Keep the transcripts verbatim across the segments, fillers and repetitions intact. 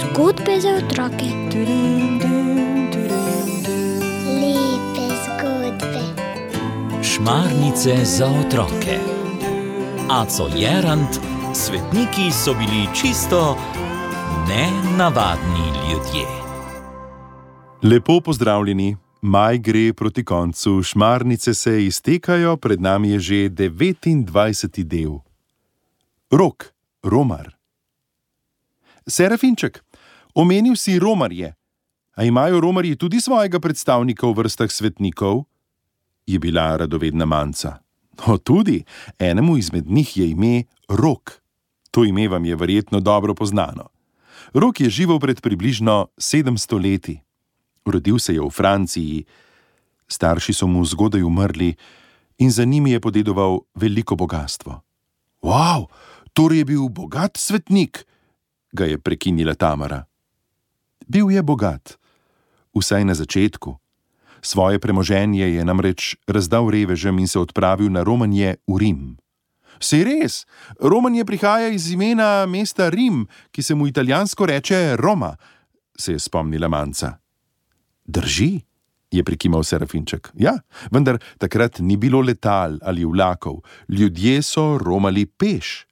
Zgodbe za otroke. Lepe zgodbe. Šmarnice za otroke. Aco Jerant, svetniki so bili čisto nenavadni ljudje. Lepo pozdravljeni. Maj gre proti koncu, šmarnice se iztekajo, pred nami je že devetindvajseti del. Rok, romar. Serafinček, omenil si romarje. A imajo romarji tudi svojega predstavnika v vrstah svetnikov? Je bila radovedna Manca. O, tudi, enemu izmed njih je ime Rok. To ime vam je verjetno dobro poznano. Rok je živel pred približno sedemsto leti. Rodil se je v Franciji, starši so mu zgodaj umrli in za njimi je podedoval veliko bogastvo. Wow, torej je bil bogat svetnik, ga je prekinila Tamara. Bil je bogat, vsaj na začetku. Svoje premoženje je namreč razdal revežem in se odpravil na romanje v Rim. Saj res, romanje prihaja iz imena mesta Rim, ki se mu italijansko reče Roma, se je spomnila Manca. Drži, je prikimal Serafinček. Ja, vendar takrat ni bilo letal ali vlakov, ljudje so romali peš.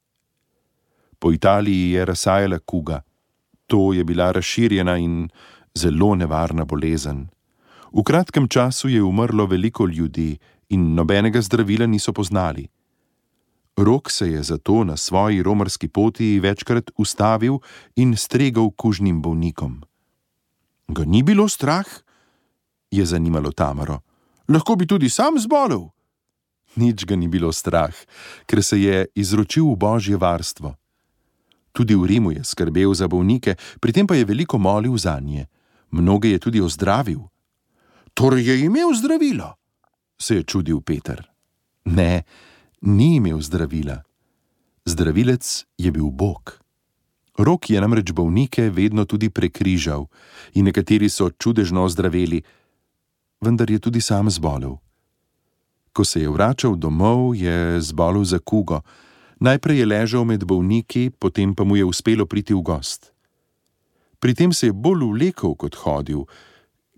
Po Italiji je razsajala kuga. To je bila razširjena in zelo nevarna bolezen. V kratkem času je umrlo veliko ljudi in nobenega zdravila niso poznali. Rok se je zato na svoji romarski poti večkrat ustavil in stregal kužnim bolnikom. Ga ni bilo strah? Je zanimalo Tamaro. Lahko bi tudi sam zbolel. Nič ga ni bilo strah, ker se je izročil v božje varstvo. Tudi v Rimu je skrbel za bolnike, pri tem pa je veliko molil zanje. Mnoge je tudi ozdravil. Torej je imel zdravilo, se je čudil Peter. Ne, ni imel zdravila. Zdravilec je bil Bog. Rok je namreč bolnike vedno tudi prekrižal in nekateri so čudežno ozdraveli, vendar je tudi sam zbolel. Ko se je vračal domov, je zbolel za kugo. Najprej je ležal med bolniki, potem pa mu je uspelo priti v gost. Pri tem se je bolj vlekel kot hodil,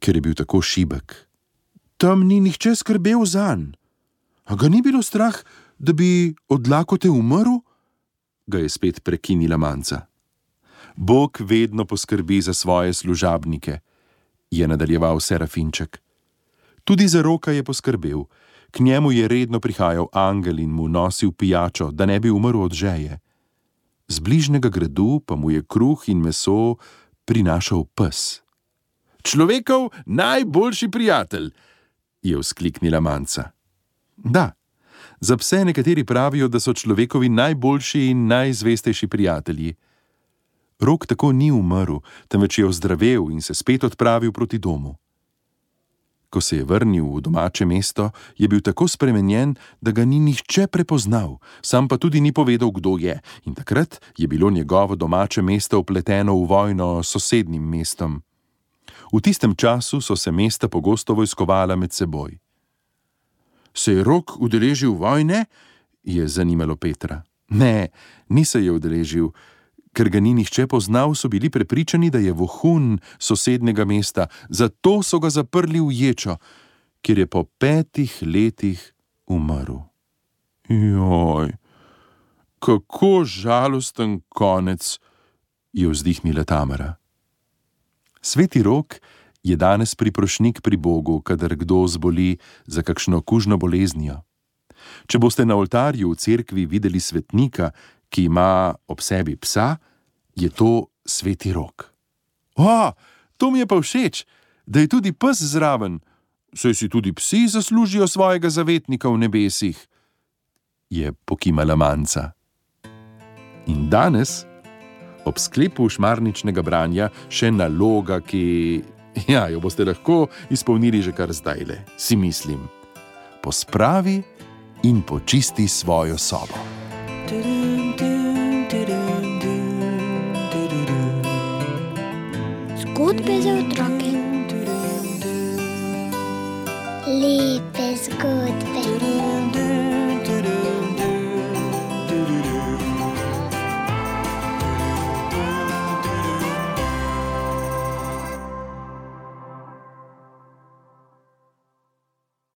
ker je bil tako šibek. Tam ni nihče skrbel zanj. A ga ni bilo strah, da bi od lakote umrl? Ga je spet prekinila Manca. Bog vedno poskrbi za svoje služabnike, je nadaljeval Serafinček. Tudi za Roka je poskrbel. K njemu je redno prihajal angel in mu nosil pijačo, da ne bi umrl od žeje. Z bližnjega gradu pa mu je kruh in meso prinašal pes. Človekov najboljši prijatelj, je vzkliknila Manca. Da, za pse nekateri pravijo, da so človekovi najboljši in najzvestejši prijatelji. Rok tako ni umrl, temveč je ozdravel in se spet odpravil proti domu. Ko se je vrnil v domače mesto, je bil tako spremenjen, da ga ni nihče prepoznal, sam pa tudi ni povedal, kdo je, in takrat je bilo njegovo domače mesto vpleteno v vojno s sosednjim mestom. V tistem času so se mesta pogosto vojskovala med seboj. Se je Rok udeležil vojne? Je zanimalo Petra. Ne, ni se je udeležil. Ker ga ni nihče poznal, so bili prepričani, da je vohun sosednjega mesta, zato so ga zaprli v ječo, kjer je po petih letih umrl. Joj, kako žalosten konec, je vzdihnila Tamara. Sveti Rok je danes priprošnik pri Bogu, kadar kdo zboli za kakšno kužno boleznijo. Če boste na oltarju v cerkvi videli svetnika, ki ima ob sebi psa, je to Sveti Rok. O, to mi je pa všeč, da je tudi pes zraven, saj si tudi psi zaslužijo svojega zavetnika v nebesih, je pokimala Manca. In danes, ob sklepu šmarničnega branja, še naloga, ki, ja, jo boste lahko izpolnili že kar zdajle, si mislim. Pospravi in počisti svojo sobo. Zgodbe za otroke. Lepe zgodbe.